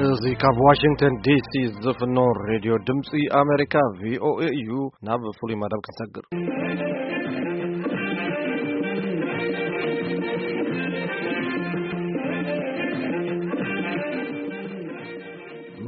እዚ ካብ ዋሽንግተን ዲሲ ዝፍኖ ሬድዮ ድምፂ ኣሜሪካ፣ ቪኦኤ እዩ። ናብ ፍሉይ መደብ ክንሰግር።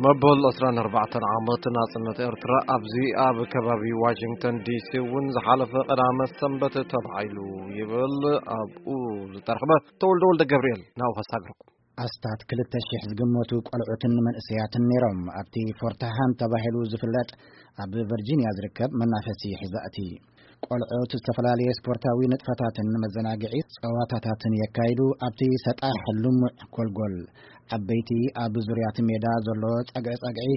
መበል ዕስራን ኣርባዕተን ዓመት ናጽነት ኤርትራ ኣብዚ ኣብ ከባቢ ዋሽንግተን ዲሲ እውን ዝሓለፈ ቀዳመ ሰንበት ተባሂሉ ይብል ኣብኡ ዝተረኽበ ተወልደ ወልደ ገብርኤል። ናብኡ ከሳግርኩም። ኣስታት ክልተ ሽሕ ዝግመቱ ቆልዑትን መንእሰያትን ነይሮም ኣብቲ ፎርትሃም ተባሂሉ ዝፍለጥ ኣብ ቨርጂንያ ዝርከብ መናፈሲ ሕዛእቲ። ቆልዑት ዝተፈላለየ ስፖርታዊ ንጥፈታትን መዘናግዒ ጸዋታታትን የካይዱ። ኣብቲ ሰጣሕ ልሙዕ ጎልጎል፣ ዓበይቲ ኣብ ዙርያ እቲ ሜዳ ዘሎ ጸግዒ ጸግዒ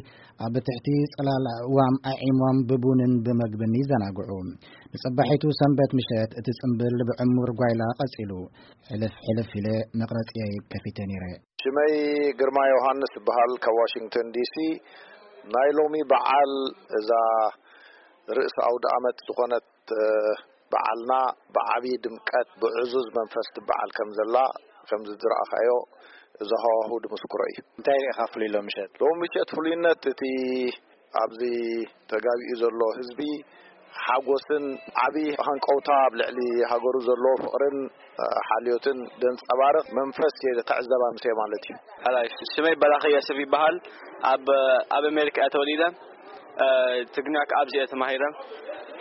ኣብ ትሕቲ ጽላል ዋም ኣዒሞም ብቡንን ብመግብን ይዘናግዑ። ንጽባሒቱ ሰንበት ምሸት እቲ ጽምብል ብዕሙር ጓይላ ቀጺሉ። ሕልፍ ሕልፍ ኢለ መቕረጺየይ ከፊተ ነይረ። ሽመይ ግርማ ዮሃንስ እበሃል፣ ካብ ዋሽንግተን ዲሲ። ናይ ሎሚ በዓል እዛ ርእሲ ኣውደ ኣመት ዝኾነት፣ እ፣ በዓልና ብዓብዪ ድምቀት ብዕዙዝ መንፈስ ትበዓል ከም ዘላ፣ ከምዚ ዝረኣኻዮ፣ እዚ ሃዋሁ ድምስክሮ እዩ። እንታይ ርኢኻ ፍሉይ ሎሚ ምሸት? ሎሚ ምሸት ፍሉይነት እቲ ኣብዚ ተጋቢኡ ዘሎ ህዝቢ ሓጎስን ዓቢ ሃንቀውታ ኣብ ልዕሊ ሃገሩ ዘለዎ ፍቕርን፣ እ፣ ሓልዮትን ዘንጸባርቕ መንፈስ እየ ክዕዘብ ኣምስየ ማለት እዩ። ሓላይ ሽመይ በራኺ የስብ ይበሃል። ኣብ፣ ኣብ ኣሜሪካ እየ ተወሊደ። እ፣ ትግርኛ ከኣ ኣብዚ እየ ተማሂረ።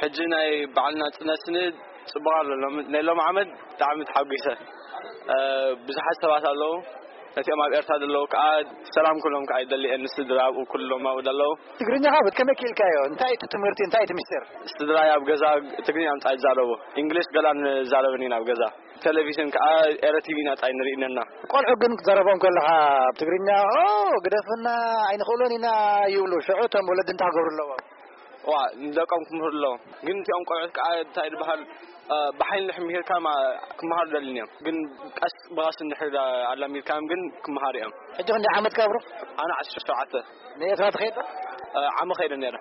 ሕጂ ናይ በዓል ናጽነትኒ ጽቡቕ ኣሎ። ሎም-፣ ናይ ሎም ዓመት ብጣዕሚ ተሓጒሰ። እ፣ ብዙሓት ሰባት ኣለዉ። ነቲኦም ኣብ ኤርትራ ዘለዉ ከኣ ሰላም ኩሎም ከኣ ይደሊ እየ፣ ንስድራ ኣብኡ ኩሎም ኣብኡ ዘለዉ። ትግርኛ ካብ ከመይ ክኢልካዮ? እንታይ እቲ ትምህርቲ? እንታይ እቲ ምስጢር? ስድራይ ኣብ ገዛ ትግርኛ ምጻ ይዛረቡ። እንግሊሽ ገላን ዛረብን ኢና ኣብ ገዛ። ቴሌቪዥን ከኣ ኤረ ቲቪ ኢና ጻይ ንርኢ ነና። ቆልዑ ግን ክትዛረቦም ከለኻ ኣብ ትግርኛ፣ "ኦ፣ ግደፍና፣ ኣይንኽእሎን ኢና" ይብሉ። ሽዑ እቶም ወለዲ እንታይ ክገብሩ ኣለዎም? ዋ፣ ንደቆም ክምህሩ ኣለዎም። ግን እቲኦም ቆልዑት ከኣ እንታይ ዝበሃል፣ እ፣ ብሓይሊ እንድሕር ምሂርካ ማ-፣ ክመሃሩ ደልዩን እዮም። ግን ቀስ ብቐስ እንድሕር ኣላሚድካዮም ግን ክመሃሩ እዮም። ሕጂ ክንደይ ዓመትካ ብሩኽ? ኣነ ዓሰርተ ሸውዓተ። ንኤርትራ ትኸይድ ዶ? እ፣ ዓመ ኸይደ ነይረ።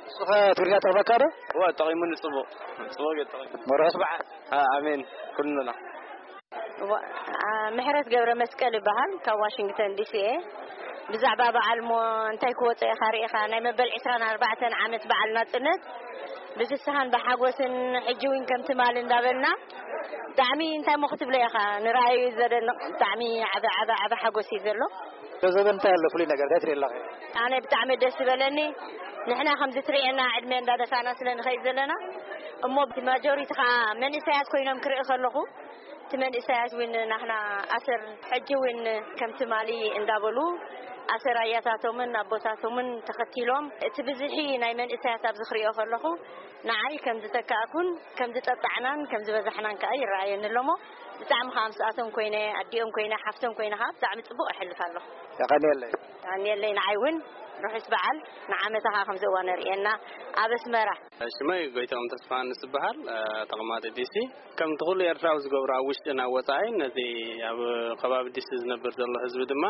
ንስኸ ትግርኛ ጠቕመካ ዶ? እወ፣ ጠቒሙኒ ጽቡቕ። ጽቡቕ ገይሩ ጠቒሙ። መርሑስ በዓል። እ፣ ኣሜን። ኩሉና። ዋ-፣ ኣ፣ ምሕረት ገብረ መስቀል ይበሃል፣ ካብ ዋሽንግተን ዲሲ እየ። ብዛዕባ በዓል እሞ እንታይ ክወጾ ኢኻ ርኢኻ፣ ናይ መበል ዕስራን ኣርባዕተን ዓመት በዓል ናጽነት ብፍስሃን ብሓጎስን ሕጂ እውን ከም ትማሊ እንዳበልና ብጣዕሚ እንታይ እሞ ክትብሎ ኢኻ፣ ንረኣዩ እዩ ዘደንቕ። ብጣዕሚ ዓቢ፣ ዓቢ፣ ዓቢ ሓጎስ እዩ ዘሎ። ዶ ዘበን እንታይ ኣሎ ፍሉይ ነገር? እንታይ ትርኢ ኣለኺ? ኣነ ብጣዕሚ ደስ ዝበለኒ፣ ንሕና ከምዚ ትርእየና ዕድመ እንዳደፋና ስለ ንኸይድ ዘለና፣ እሞ ብማጆሪቲ ኸዓ መንእሰያት ኮይኖም ክርኢ ከለኹ፣ እቲ መንእሰያት እውን ናህና ኣሰር ሕጂ እውን ከም ትማሊ እንዳበሉ ኣሰር ኣያታቶምን ኣቦታቶምን ተኸቲሎም፣ እቲ ብዝሒ ናይ መንእሰያት ኣብዚ ክሪኦ ከለኹ፣ ንዓይ ከም ዝተካእኩን ከም ዝጠጣዕናን ከም ዝበዛሕናን ከኣ ይረኣየኒ ኣሎሞ። ብጣዕሚ ከኣ ምስኣቶም ኮይነ፣ ኣዲኦም ኮይነ፣ ሓፍቶም ኮይነ ከኣ ብጣዕሚ ጽቡቕ እሕልፍ ኣለኹ። የቐንየለይ። የቐንየለይ። ንዓይ እውን ርሑስ በዓል ንዓመታ ከኣ ከምዚ እዋ ነርእየና ኣብ ኣስመራ። ሽመይ ጎይታኦም ተስፋሃንስ ዝበሃል፣ እ፣ ተቐማጢ ዲሲ። ከምቲ ኩሉ ኤርትራዊ ዝገብሮ ኣብ ውሽጥን ኣብ ወጻኢን ነቲ ኣብ ከባቢ ዲሲ ዝነብር ዘሎ ህዝቢ ድማ፣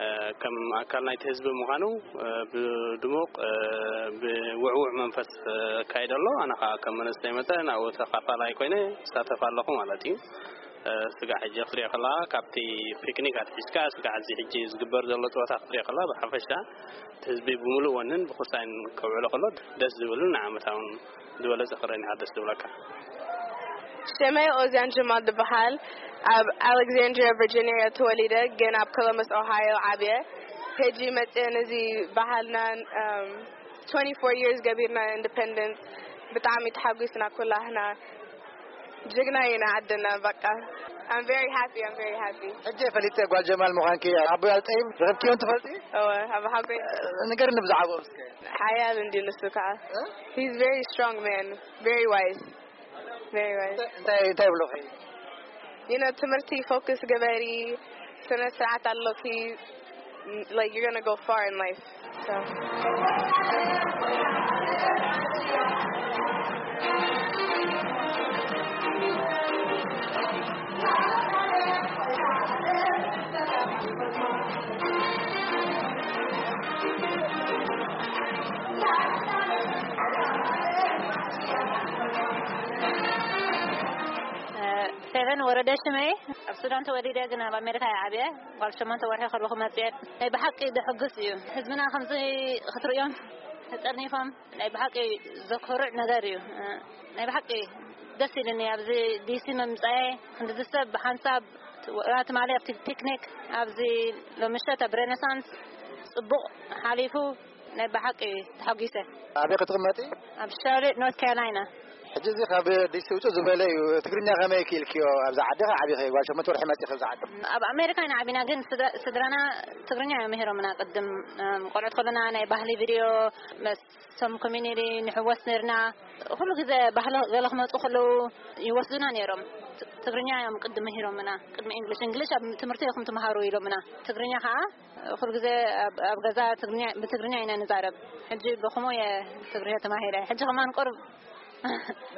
እ፣ ከም ኣካል ናይቲ ህዝቢ ምዃኑ፣ እ፣ ብድሙቕ፣ እ፣ ብውዕዉዕ መንፈስ፣ እ፣ ኣካይድ ኣሎ። ኣነ ኸኣ ከም መንእሰይ መጠን ኣብኡ ተኻፋላይ ኮይነ እሳተፍ ኣለኹ ማለት እዩ። እ፣ ስጋዕ ሕጂ ክትሪኦ ከለኻ ካብቲ ፒክኒክ ኣትሒዝካ ስጋዕ እዚ ሕጂ ዝግበር ዘሎ ጸወታ ክትሪኦ ከለኻ ብሓፈሻ እቲ ህዝቢ ብምሉእ ወንን ብኹሳይን ከውዕሎ ከሎ ደስ ዝብልን ንዓመታውን ዝበለጸ ክረን ኢኻ ደስ ዝብለካ። ሽመይ ኦዝያን ጀማል ዝበሃል፣ ኣብ ኣሌክዛንድሪያ ቨርጂኒያ ተወሊደ፣ ግን ኣብ ኮሎምበስ ኦሃዮ ዓብየ። ሕጂ መፅየ ነዚ ባህልናን፣ እም፣ twenty-four years ገቢርና ኢንዲፐንደንስ፣ ብጣዕሚ ተሓጒስና ኩላህና። ጅግና ኢና ዓድና፣ በቃ። I'm very happy, I'm very happy. ሕጂ ፈሊጠ ጓል ጀማል ምዃንኪ። ኣቦይ ኣልጠይም ረኺብክዮም ትፈልጢ? እወ፣ ኣቦ ሓጎይ። ንገርኒ ብዛዕባኦም እስከ። ሓያል እንድዩ ንሱ ከዓ። እ? He's very strong man, very wise. Very wise. እንታይ፣ እንታይ ይብሉኺ? You know፣ ትምህርቲ ፎከስ ግበሪ፣ ስነ ስርዓት ኣሎኪ፣ like, you're gonna go far in life. So. ሄለን ወረደ ሽመይ። ኣብ ሱዳን ተወሊደ፣ ግን ኣብ ኣሜሪካ እየ ዓብየ። ጓል ሸሞንተ ወርሒ ከለኹ መፅየ። ናይ ብሓቂ ደሕጉስ እዩ። ህዝብና ከምዚ ክትርእዮም ተጠርኒፎም፣ ናይ ብሓቂ ዘኮርዕ ነገር እዩ። ናይ ብሓቂ ደስ ኢልኒ ኣብዚ ዲሲ ምምፃኤ። ክንዲ ሰብ ብሓንሳብ ትማሊ ኣብቲ ፒክኒክ ኣብዚ ሎሚ ምሸት ኣብ ሬኔሳንስ ፅቡቕ ሓሊፉ። ናይ ብሓቂ ተሓጒሰ። ኣበይ ክትቕመጢ? ኣብ ሻርሎት ኖርት ካሮላይና። ሕጂ እዚ ካብ ዲሲ ውፅእ ዝበለ እዩ። ትግርኛ ከመይ ክኢልክዮ? ኣብዚ ዓዲ ኸ ዓቢኸ? ጓል ሸሞንተ ወርሒ መፂ ኣብዚ ዓዲ። ኣብ ኣሜሪካ ኢና ዓቢና፣ ግን ስድራ- ስድራና ትግርኛ እዮም ምሂሮምና። ቅድም እም፣ ቆልዑት ከለና ናይ ባህሊ ቪድዮ፣ መስ- ቶም ኮሚኒቲ ንሕወስ ነርና። ኩሉ ግዜ ባህሊ ገለ ክመፁ ከለዉ ይወስዱና ነይሮም። ት- ትግርኛ እዮም ቅድሚ ምሂሮምና፣ ቅድሚ እንግሊሽ። እንግሊሽ ኣብ ትምህርቲ ኢኹም ትምሃሩ ኢሎምና። ትግርኛ ከዓ ኩሉ ግዜ ኣብ- ኣብ ገዛ ትግርኛ- ብትግርኛ ኢና ንዛረብ። ሕጂ ብኸምኡ እየ ትግርኛ ተማሂረ። ሕጂ ከማን ቁርብ።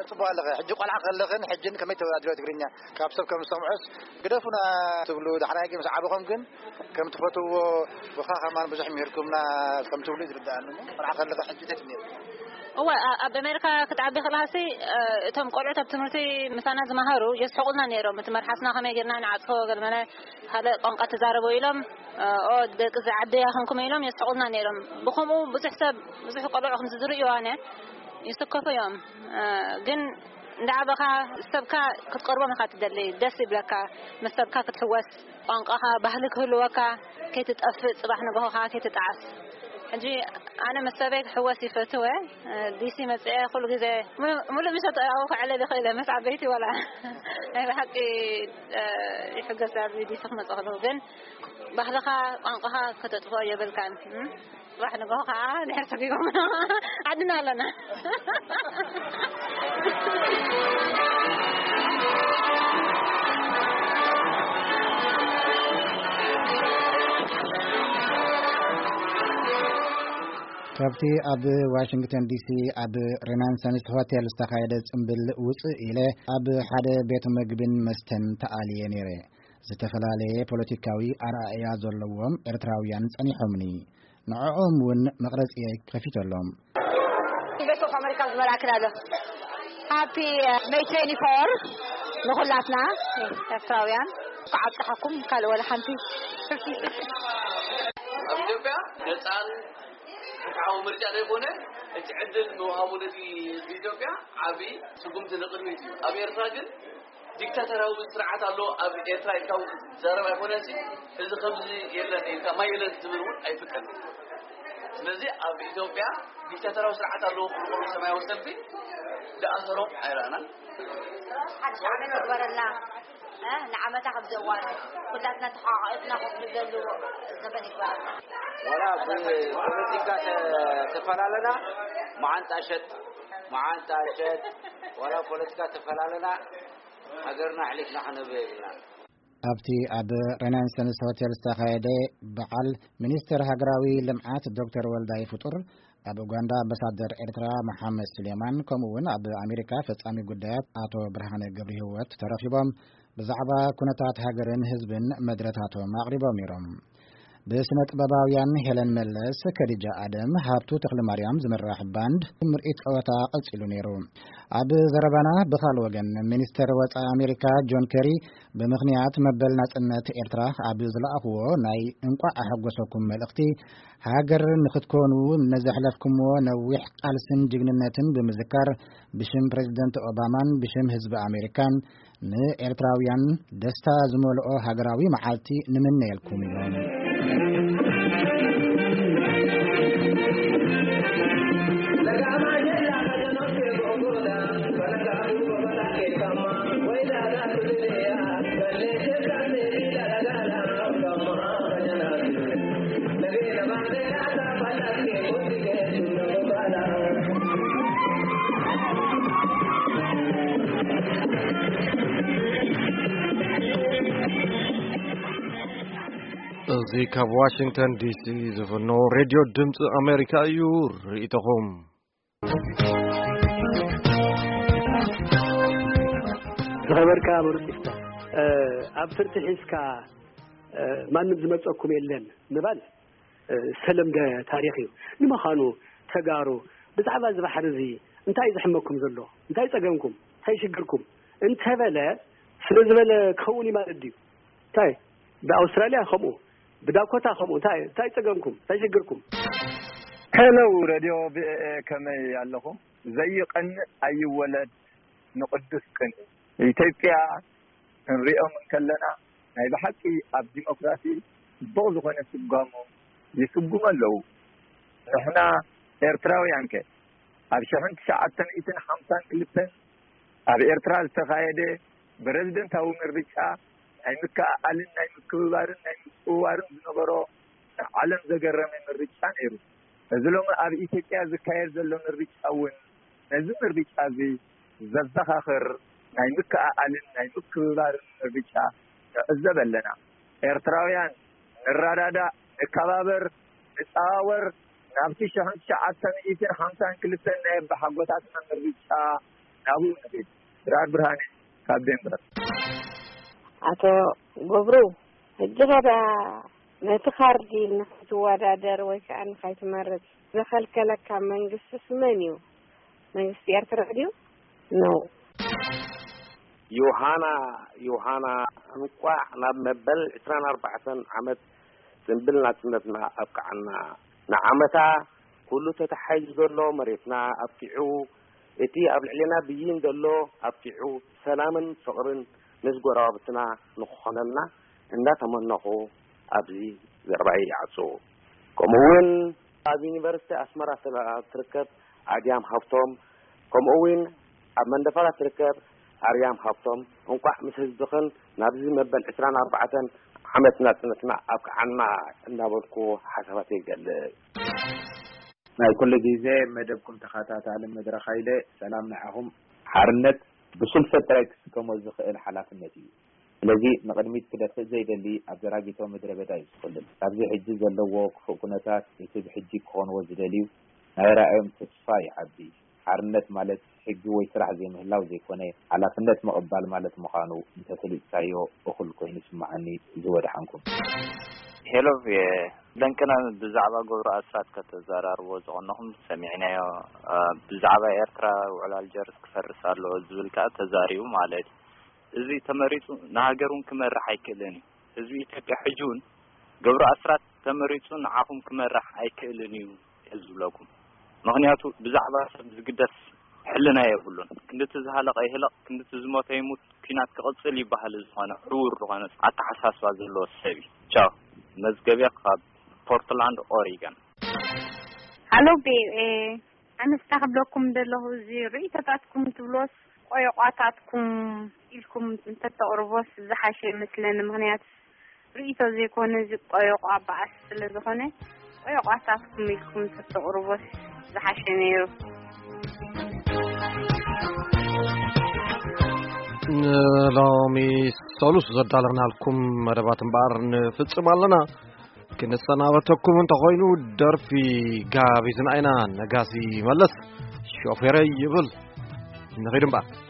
ጽቡቕ ኣለኸ። ሕጂ ቆልዓ ከለኽን ሕጅን ከመይ ተወዳድርዮ ትግርኛ? ካብ ሰብ ከም ዝሰምዖስ ግደፉና ትብሉ፣ ዳሕራይ ግን ምስ ዓበኹም ግን ከም ትፈትውዎ፣ ብኻ ከማን ብዙሕ ምሂርኩምና ከም ትብሉ እዩ ዝርድኣኒ። ቆልዓ ከለኻ ሕጂ እንታይ ትብሉ? እወ፣ ኣ- ኣብ ኣሜሪካ ክትዓቢ ከለኻሲ፣ እ፣ እቶም ቆልዑት ኣብ ትምህርቲ ምሳና ዝመሃሩ የስሕቑልና ነይሮም። እቲ መርሓስና ከመይ ጌርና ንዓጽፎ፣ ገለመለ ካልእ ቋንቋ ትዛረቡ ኢሎም፣ እ፣ ኦ፣ ደቂ እዚ ዓዲ ኢኹም ኢሎም የስሕቑልና ነይሮም። ብኸምኡ ብዙሕ ሰብ፣ ብዙሕ ቆልዑ ከም ዝዝርእዩ ኣነ ይስከፉ እዮም። እ፣ ግን እንዳዓበኻ ሰብካ ክትቀርቦም ኢኻ ትደሊ፣ ደስ ይብለካ። ምስ ሰብካ ክትሕወስ፣ ቋንቋኻ፣ ባህሊ ክህልወካ፣ ከይትጠፍእ፣ ጽባሕ ንግሆኻ ከይትጠዓስ። ሕጂ ኣነ ምስ ሰበይ ክሕወስ ይፈትወ። ዲሲ መጽአ ኩሉ ግዜ ሙ- ሙሉእ ምሸት ኣብኡ ክዕለል ይኽእል እየ፣ ምስ ዓበይቲ ዋላ ናይ ብሓቂ፣ እ፣ ይሕገስ ኣብዚ ዲሲ ክመጽእ ከለኹ። ግን ባህልኻ፣ ቋንቋኻ ከተጥፍኦ የብልካን። እም? ጽባሕ ንግሆ ከዓ ድሕር ሰጊጎም ዓድና ኣለና። ካብቲ ኣብ ዋሽንግተን ዲሲ ኣብ ሬናንሰንስ ሆቴል ዝተኻየደ ጽምብል ውጽእ ኢለ፣ ኣብ ሓደ ቤት ምግብን መስተን ተኣልየ ነይረ። ዝተፈላለየ ፖለቲካዊ ኣረኣእያ ዘለዎም ኤርትራውያን ጸኒሖምኒ። ንዕኦም እውን መቕረጺየይ ከፊተሎም። ቤት ኣሜሪካ ዝመልኣክን ኣሎ። ሃፒ ሜይ ትዌንቲ ፎር ንኹላትና ኤርትራውያን። እንኳዕ ኣብፀሐኩም ካልእ ወላ ሓንቲ። ኣብ ኢትዮጵያ ነፃን ፍትሓዊ ምርጫ ዘይኮነ፣ እቲ ዕድል ምውሃቡ ነቲ ህዝቢ ኢትዮጵያ ዓቢ ስጉምቲ ንቕድሚት እዩ። ኣብ ኤርትራ ግን ዲክታተራዊ ስርዓት ኣሎ ኣብ ኤርትራ ኢልካ እውን ክትዛረብ ኣይኮነን። እዚ ከምዚ የለን ኢልካ ማይ የለን ክትብል እውን ኣይፍቀድን። ስለዚ ኣብ ኢትዮጵያ ዲክታተራዊ ስርዓት ኣለዎ ክብሉ ከለዉ ሰማያዊ ሰልፊ ዝኣሰሮም ኣይረኣናን። ሓድሽ ዓመት ይግበረልና። እ፣ ንዓመታ ከምዚ እዋን ኩላትና ተሓቋቒፍና ኮፍ ንብለሉ ዘበን ይግበረልና። ዋላ ብፖለቲካ ተ- ተፈላለና መዓንጣ ሸጥ መዓንጣ ሸጥ ዋላ ፖለቲካ ተፈላለና ሃገርና ኣሕሊፍና ክነብር የብልና። ኣብቲ ኣብ ሬናንሰንስ ሆቴል ዝተኻየደ በዓል፣ ሚኒስትር ሃገራዊ ልምዓት ዶክተር ወልዳይ ፍጡር፣ ኣብ ኡጋንዳ ኣምባሳደር ኤርትራ መሓመድ ሱሌማን፣ ከምኡ እውን ኣብ ኣሜሪካ ፈጻሚ ጉዳያት ኣቶ ብርሃነ ገብረህይወት ተረኺቦም ብዛዕባ ኩነታት ሃገርን ህዝብን መድረታቶም ኣቕሪቦም ነይሮም። ብስነ ጥበባውያን ሄለን መለስ፣ ከዲጃ ኣደም፣ ሃብቱ ተኽለማርያም ዝምራሕ ባንድ ምርኢት ጸወታ ቀጺሉ ነይሩ። ኣብ ዘረባና ብኻል ወገን፣ ሚኒስተር ወጻኢ ኣሜሪካ ጆን ኬሪ ብምኽንያት መበል ናጽነት ኤርትራ ኣብ ዝለኣኽዎ ናይ እንቋዕ ኣሐጎሰኩም መልእኽቲ፣ ሃገር ንኽትኮኑ ነዘሕለፍኩምዎ ነዊሕ ቃልስን ጅግንነትን ብምዝካር፣ ብሽም ፕሬዝደንት ኦባማን ብሽም ህዝቢ ኣሜሪካን ንኤርትራውያን ደስታ ዝመልኦ ሃገራዊ መዓልቲ ንምነየልኩም ኢሎም። እዚ ካብ ዋሽንግተን ዲሲ ዝፍኖ ሬድዮ ድምፂ ኣሜሪካ እዩ። ርእይቶኹም። ዝኸበርካ መሩጽ ይፍታ፣ ኣብ ፍርዲ ሒዝካ ማንም ዝመጸኩም የለን ምባል ዝተለምደ ታሪኽ እዩ። ንምዃኑ ተጋሩ ብዛዕባ እዚ ባሕሪ እዚ እንታይ እዩ ዝሕመኩም ዘሎ? እንታይ ጸገምኩም? እንታይ ሽግርኩም? እንተበለ ስለ ዝበለ ክኸውን እዩ ማለት ድዩ? እንታይ? ብኣውስትራልያ ከምኡ፣ ብዳኮታ ከምኡ። እንታይ እንታይ ጸገምኩም? እንታይ ሽግርኩም? ሄሎ፣ ሬድዮ ቪኦኤ፣ ከመይ ኣለኹም? ዘይቐንእ ኣይወለድ፣ ንቕዱስ ቅንኢ። ኢትዮጵያ ክንሪኦም እንከለና፣ ናይ ብሓቂ ኣብ ዲሞክራሲ ጽቡቕ ዝኾነ ስጓሙ ይስጉሙ ኣለዉ። ንሕና ኤርትራውያን ከ? ኣብ ሽሕን ትሽዓተ ሚእትን ሓምሳን ክልተን ኣብ ኤርትራ ዝተኻየደ ፕረዚደንታዊ ምርጫ ናይ ምክእኣልን ናይ ምክብባርን ናይ ምጽውዋርን ዝነበሮ ንዓለም ዘገረመ ምርጫ ነይሩ። እዚ ሎሚ ኣብ ኢትዮጵያ ዝካየድ ዘሎ ምርጫ እውን ነዚ ምርጫ እዚ ዘዘኻኽር ናይ ምክእኣልን ናይ ምክብባርን ምርጫ ንዕዘብ ኣለና። ኤርትራውያን ንረዳዳእ፣ ንከባበር፣ ንጸዋወር፣ ናብቲ ሽሕን ትሽዓተ ሚእትን ሓምሳን ክልተን ናይ ኣቦሓጎታትና ምርጫ ናብኡ ንኺድ። ድራር ብርሃነ ካብ ዴንቨር። ኣቶ ገብሩ፣ ሕጂ ኸዳ ነቲ ካርዲ ንኸይትወዳደር ወይ ከዓ ንኸይትመርጽ ዘኸልከለካ መንግስትስ መን እዩ? መንግስቲ ኤርትራ ድዩ? ነው። ዮሃና ዮሃና፣ እንቋዕ ናብ መበል ዕስራን ኣርባዕተን ዓመት ጽንብል ናጽነትና ኣብቅዓና። ንዓመታ ኩሉ ተታሒዙ ዘሎ መሬትና ኣብቂዑ፣ እቲ ኣብ ልዕሌና ብይን ዘሎ ኣብቂዑ፣ ሰላምን ፍቕርን ምስ ጎረባብትና ንክኾነልና እንዳተመነኹ ኣብዚ ዘረባይ ይዓጹ። ከምኡ እውን ኣብ ዩኒቨርሲቲ ኣስመራ ስለ ትርከብ ኣድያም ሃብቶም፣ ከምኡ እውን ኣብ መንደፈራ ትርከብ ኣርያም ሃብቶም፣ እንቋዕ ምስ ህዝብኽን ናብዚ መበል ዕስራን ኣርባዕተን ዓመት ናጽነትና ኣብቅዓና እናበልኩ ሓሳባተይ ይገልጽ። ናይ ኩሉ ግዜ መደብኩም ተኸታታሊ መድረኽ ሃይለ፣ ሰላም ንዓኹም። ሓርነት ብሱል ሰብ ጥራይ ክስከሞ ዝኽእል ሓላፍነት እዩ። ስለዚ ንቕድሚት ክደፍእ ዘይደሊ ኣብ ዘራጊቶ ምድረ በዳ እዩ ዝኹልል። ካብዚ ሕጂ ዘለዎ ክፉእ ኩነታት እቲ ብሕጂ ክኾንዎ ዝደልዩ ናይ ራእዮም ተስፋ ይዓቢ። ሓርነት ማለት ሕጊ ወይ ስራሕ ዘይምህላው ዘይኮነ፣ ሓላፍነት ምቕባል ማለት ምዃኑ እንተፈሊጥካዮ እኹል ኮይኑ ይስምዓኒ። ዝወድሓንኩም። ሄሎ፣ ደንቅና ብዛዕባ ገብሩ ኣስራት ከተዘራርቦ ዝቐነኹም ሰሚዕናዮ። ብዛዕባ ኤርትራ ውዕል ኣልጀርስ ክፈርስ ኣለዎ ዝብል ከኣ ተዛሪቡ ማለት እዩ። እዚ ተመሪጹ ንሃገር እውን ክመርሕ ኣይክእልን እዩ። ህዝቢ ኢትዮጵያ ሕጂ እውን ገብሩ ኣስራት ተመሪጹ ንዓኹም ክመርሕ ኣይክእልን እዩ እየ ዝብለኩም። ምኽንያቱ ብዛዕባ ሰብ ዝግደስ ሕልና የብሉን። ክንድቲ ዝሃለቐ ይህለቕ፣ ክንድቲ ዝሞተ ይሙት፣ ኲናት ክቕጽል ይበሃል። ዝኾነ ዕውር ዝኾነ ኣተሓሳስባ ዘለዎ ሰብ እዩ። ቻው። መዝገብያ ካብ ፖርትላንድ ኦሪገን። ሃሎ ቪኦኤ፣ ኣነስ እንታይ ክብለኩም ደለኹ፣ እዚ ርእይቶታትኩም ትብሎስ ቆየቋታትኩም ኢልኩም እንተተቕርቦስ ዝሓሸ ይመስለኒ። ምኽንያቱ ርእይቶ ዘይኮነ እዚ ቆየቋ በኣስ ስለ ዝኾነ ቆየቋታትኩም ኢልኩም እንተተቕርቦስ ዝሓሸ ነይሩ። ንሎሚ ሰሉስ ዘዳለናልኩም መደባት እምበኣር ንፍጽም ኣለና። ክንሰናበተኩም እንተኾይኑ ደርፊ ጋቢዝና ኢና። ነጋሲ መለስ ሾፌረይ ይብል። ንኺድ እምበኣር።